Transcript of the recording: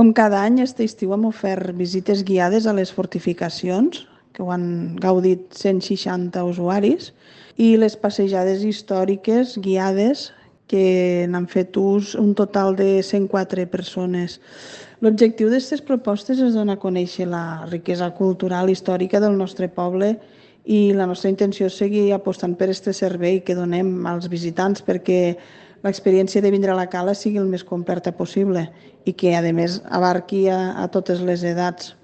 Com cada any, aquest estiu hem ofert visites guiades a les fortificacions, que ho han gaudit 160 usuaris, i les passejades històriques guiades, que n'han fet ús un total de 104 persones. L'objectiu d'aquestes propostes és donar a conèixer la riquesa cultural i històrica del nostre poble i la nostra intenció és seguir apostant per aquest servei que donem als visitants perquè l'experiència de vindre a la cala sigui el més completa possible i que, a més, abarqui a totes les edats.